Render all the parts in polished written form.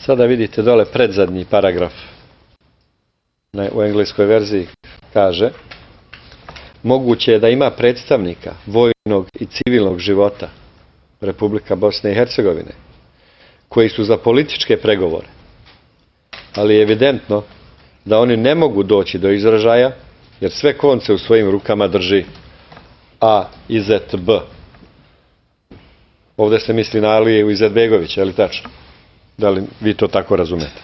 Sada vidite dole predzadnji paragraf u engleskoj verziji kaže: moguće je da ima predstavnika vojnog i civilnog života Republika Bosne i Hercegovine koji su za političke pregovore, ali je evidentno da oni ne mogu doći do izražaja jer sve konce u svojim rukama drži AIZB. Ovdje se misli na Aliju Izetbegovića, je li tačno? Da li vi to tako razumete?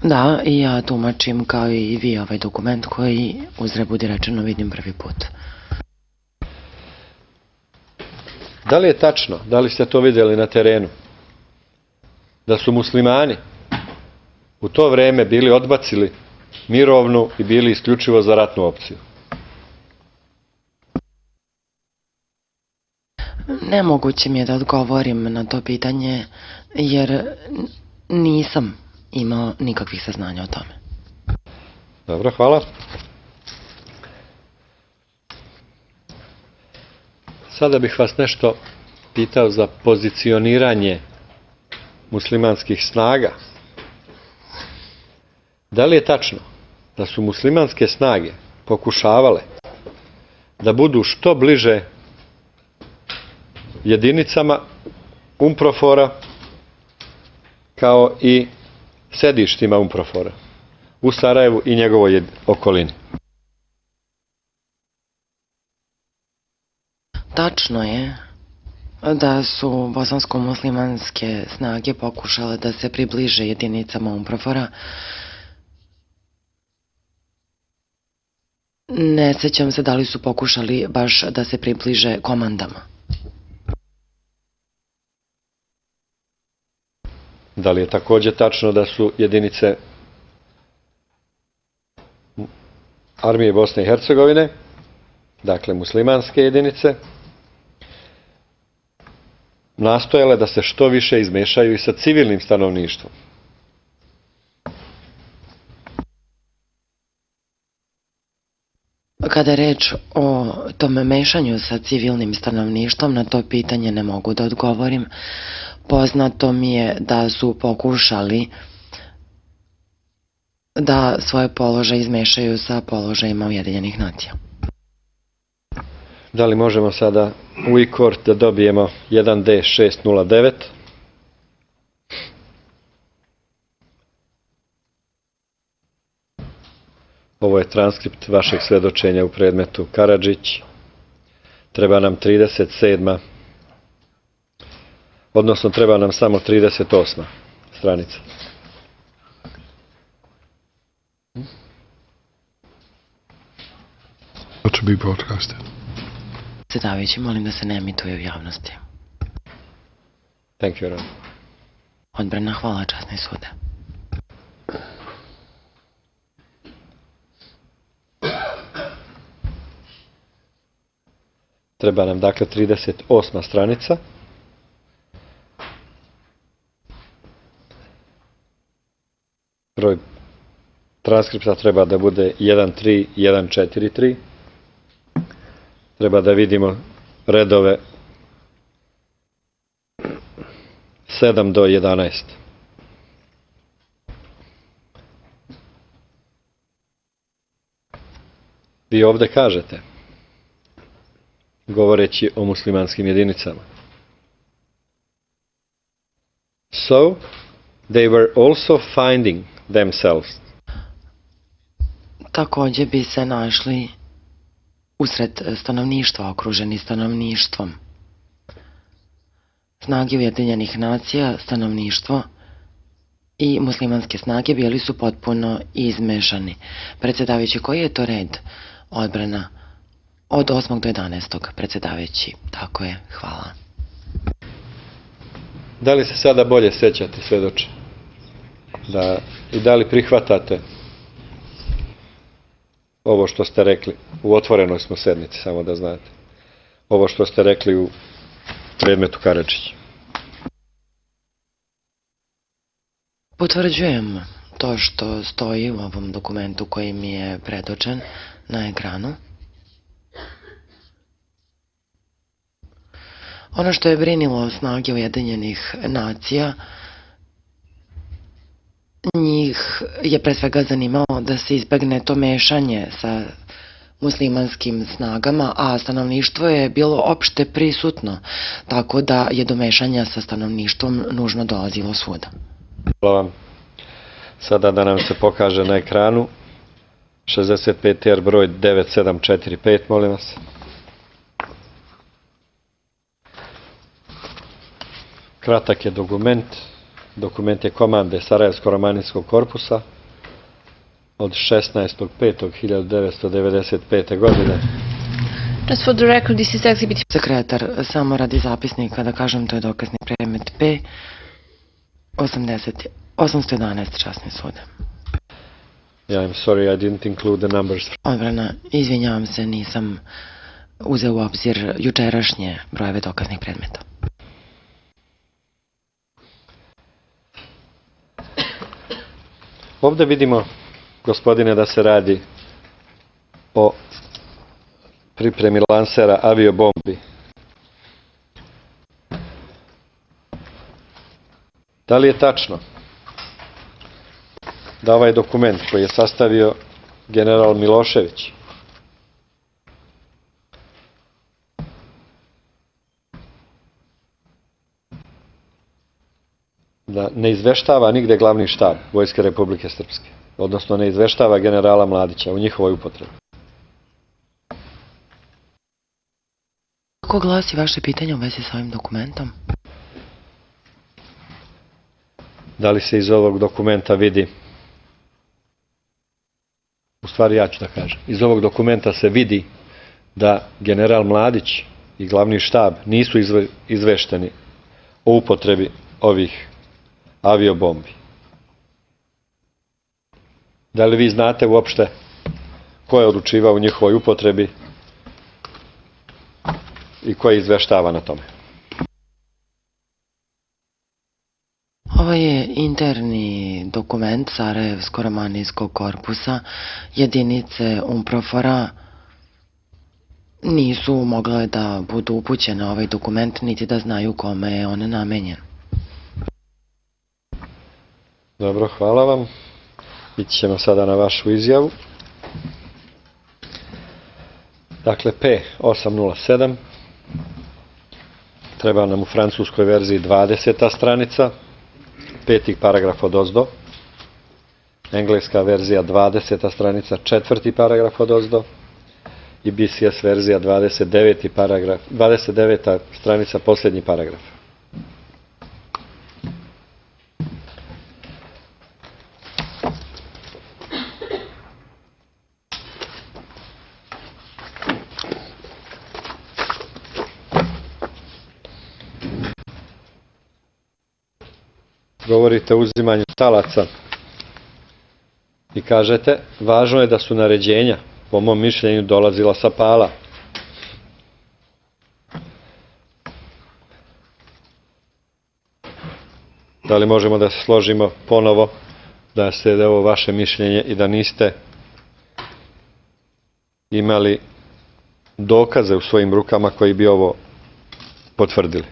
Da, i ja tumačim kao i vi ovaj dokument koji, uzgred budi rečeno, vidim prvi put. Da li je tačno, da li ste to vidjeli na terenu, da su muslimani u to vreme bili odbacili mirovnu i bili isključivo za ratnu opciju? Nemoguće mi je da odgovorim na to pitanje, jer nisam imao nikakvih saznanja o tome. Dobro, hvala. Sada bih vas nešto pitao za pozicioniranje muslimanskih snaga. Da li je tačno da su muslimanske snage pokušavale da budu što bliže jedinicama UNPROFOR-a kao i sedištima UNPROFOR-a u Sarajevu i njegovoj okolini? Tačno je da su bosansko-muslimanske snage pokušale da se približe jedinicama UNPROFOR-a. Ne sećam se da li su pokušali baš da se približe komandama. Da li je također tačno da su jedinice armije Bosne i Hercegovine, dakle muslimanske jedinice, nastojale da se što više izmešaju i sa civilnim stanovništvom? Kada je reč o tom mešanju sa civilnim stanovništvom, na to pitanje ne mogu da odgovorim. Poznato mi je da su pokušali da svoje položaje izmešaju sa položajima Ujedinjenih nacija. Da li možemo sada u e-court da dobijemo 1D609? Ovo je transkript vašeg svedočenja u predmetu Karadžić. Treba nam 37. Odnosno treba nam samo 38. stranica. To be broadcasted. Predsjedavajući, molim da se ne emituje u javnosti. Thank you, Ron. Odbrana, hvala, časni sude. Treba nam dakle 38. stranica. Broj transkripta treba da bude 13143. Treba da vidimo redove 7 do 11. Vi ovdje kažete, govoreći o muslimanskim jedinicama: So, they were also finding themselves. Također bi se našli usred stanovništva, okruženi stanovništvom. Snage Ujedinjenih nacija, stanovništvo i muslimanske snage bili su potpuno izmešani. Predsjedavajući, koji je to red? Odbrana od 8. do 11. Predsjedavajući, tako je, hvala. Da li se sada bolje sećate, svedoče? I da li prihvatate ovo što ste rekli? U otvorenoj smo sednici, samo da znate. Ovo što ste rekli u predmetu Karadžić. Potvrđujem to što stoji u ovom dokumentu koji mi je predočen na ekranu. Ono što je brinilo snage Ujedinjenih nacija, njih je pre svega zanimalo da se izbegne to mešanje sa muslimanskim snagama, a stanovništvo je bilo opšte prisutno, tako da je do mešanja sa stanovništvom nužno dolazilo svuda. Hvala vam. Sada da nam se pokaže na ekranu 65R broj 9745, molim vas. Kratak je dokument. Dokument je komande Sarajevsko-romanijskog korpusa od 16.5.1995. godine. Just for the record, this is exhibit. Sekretar, samo radi zapisnika da kažem, to je dokazni predmet P 811 časni sud. Yeah, I'm sorry, I didn't include the numbers. Odbrana, izvinjavam se, nisam uzeo u obzir jučerašnje brojeve dokaznih predmeta. Ovde vidimo, gospodine, da se radi o pripremi lansera aviobombi. Da li je tačno da ovaj dokument koji je sastavio general Milošević da ne izveštava nigde glavni štab Vojske Republike Srpske, odnosno ne izveštava generala Mladića u njihovoj upotrebi? Kako glasi vaše pitanje u vezi sa ovim dokumentom? Da li se iz ovog dokumenta vidi, u stvari ja ću da kažem, iz ovog dokumenta se vidi da general Mladić i glavni štab nisu izvešteni o upotrebi ovih aviobombi. Da li vi znate uopšte ko je odlučivao u njihovoj upotrebi i ko je izveštava na tome? Ovo je interni dokument Sarajevsko-romanijskog korpusa. Jedinice UNPROFOR-a nisu mogle da budu upućene na ovaj dokument, niti da znaju kome je on namenjen. Dobro, hvala vam. Ići ćemo sada na vašu izjavu. Dakle, P807. Treba nam u francuskoj verziji 20. stranica, 5. paragraf od ozdo. Engleska verzija 20. stranica, 4. paragraf od ozdo. I BCS verzija 29. stranica, posljednji paragraf. Govorite o uzimanju talaca i kažete, važno je da su naređenja, po mom mišljenju, dolazila sa Pala. Da li možemo da se složimo ponovo da je ovo vaše mišljenje i da niste imali dokaze u svojim rukama koji bi ovo potvrdili?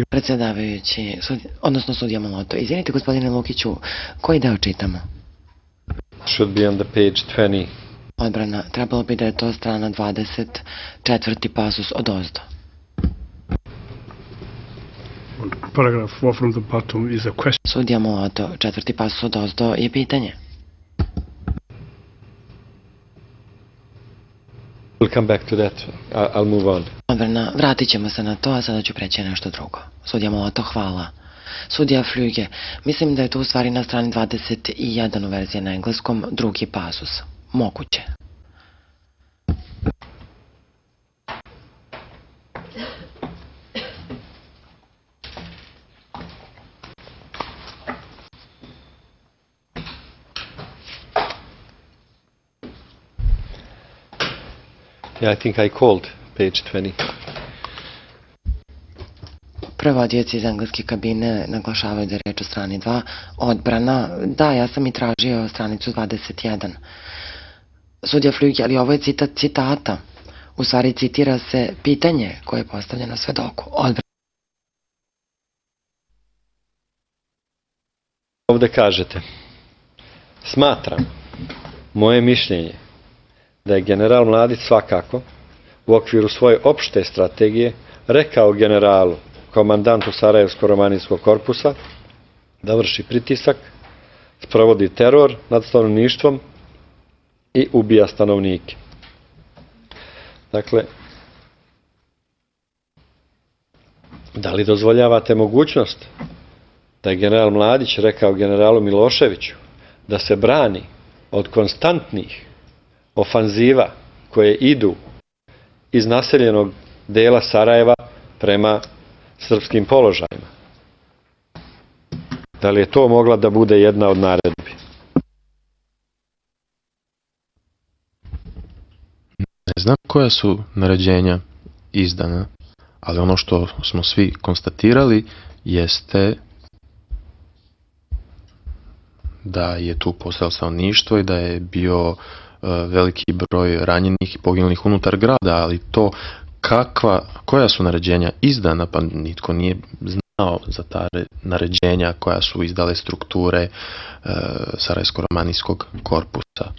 Predsjedavajući, odnosno sudija Maloto, izvinite gospodine Lukiću, koji deo čitamo? Should be on the page 20. Odbrana, trebalo bi da je to strana 20, 4. pasus od ozdo. Paragraph 4 from the bottom is a question. Sudija Maloto, 4. pasus od ozdo je pitanje. We'll come back to that. I'll move on. Odbrana, vratit ćemo se na to, a sada ću preći na nešto drugo. Sudija Maloto, hvala. Sudija Flüge, mislim da je to u stvari na strani 21 u verziji na engleskom, 2. pasus. Moguće. Yeah, I think I called page 20. Prevodioci iz engleske kabine naglašavaju da je reč o strani 2. Odbrana, da, ja sam i tražio stranicu 21. Sudija Flüge, ali ovo je citat citata. U stvari citira se pitanje koje je postavljeno svedoku. Ovdje kažete, smatram, moje mišljenje, da je general Mladić svakako u okviru svoje opšte strategije rekao generalu, komandantu Sarajevsko-romanijskog korpusa, da vrši pritisak, sprovodi teror nad stanovništvom i ubija stanovnike. Dakle, da li dozvoljavate mogućnost da je general Mladić rekao generalu Miloševiću da se brani od konstantnih ofanziva koje idu iz naseljenog dela Sarajeva prema srpskim položajima? Da li je to mogla da bude jedna od naredbi? Ne znam koja su naređenja izdana, ali ono što smo svi konstatirali jeste da je tu postojalo stanovništvo i da je bio veliki broj ranjenih i poginulih unutar grada, ali to koja su naređenja izdana, pa nitko nije znao za ta naređenja koja su izdale strukture Sarajevsko-romanijskog korpusa.